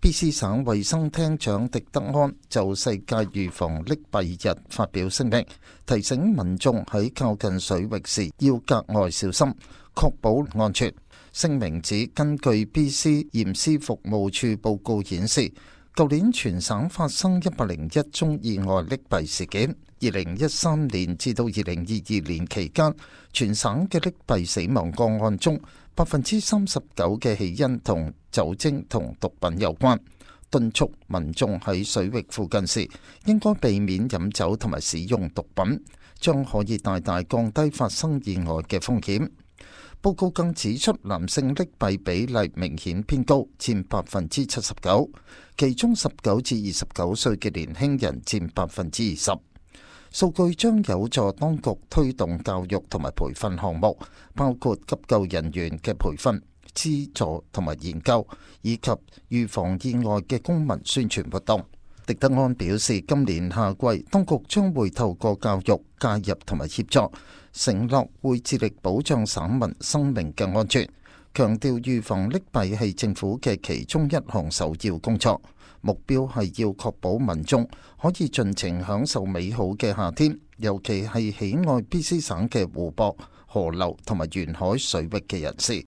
BC 省衛生廳長狄德安就世界預防溺斃日發表聲明，提醒民眾喺靠近水域時要格外小心，確保安全。聲明指，根據 BC 驗屍服務處報告顯示，舊年全省發生101宗意外溺斃事件。2013年至到2022年期間，全省嘅溺斃死亡個案中，39%嘅起因同酒精同毒品有關。敦促民眾喺水域附近時，應該避免飲酒同埋使用毒品，將可以大大降低發生意外嘅風險。報告更指出，男性溺斃比例明顯偏高，佔79%，其中19至29歲嘅年輕人佔20%。數據將有助當局推動教育同埋培訓項目，包括急救人員嘅培訓、資助同埋研究，以及預防意外嘅公民宣傳活動。狄德安表示，今年夏季當局將會透過教育、介入同埋協助，承諾會致力保障省民生命嘅安全，強調預防溺斃係政府嘅其中一項首要工作。目標係要確保民眾可以盡情享受美好嘅夏天，尤其係喜愛BC省嘅湖泊、河流同埋沿海水域嘅人士。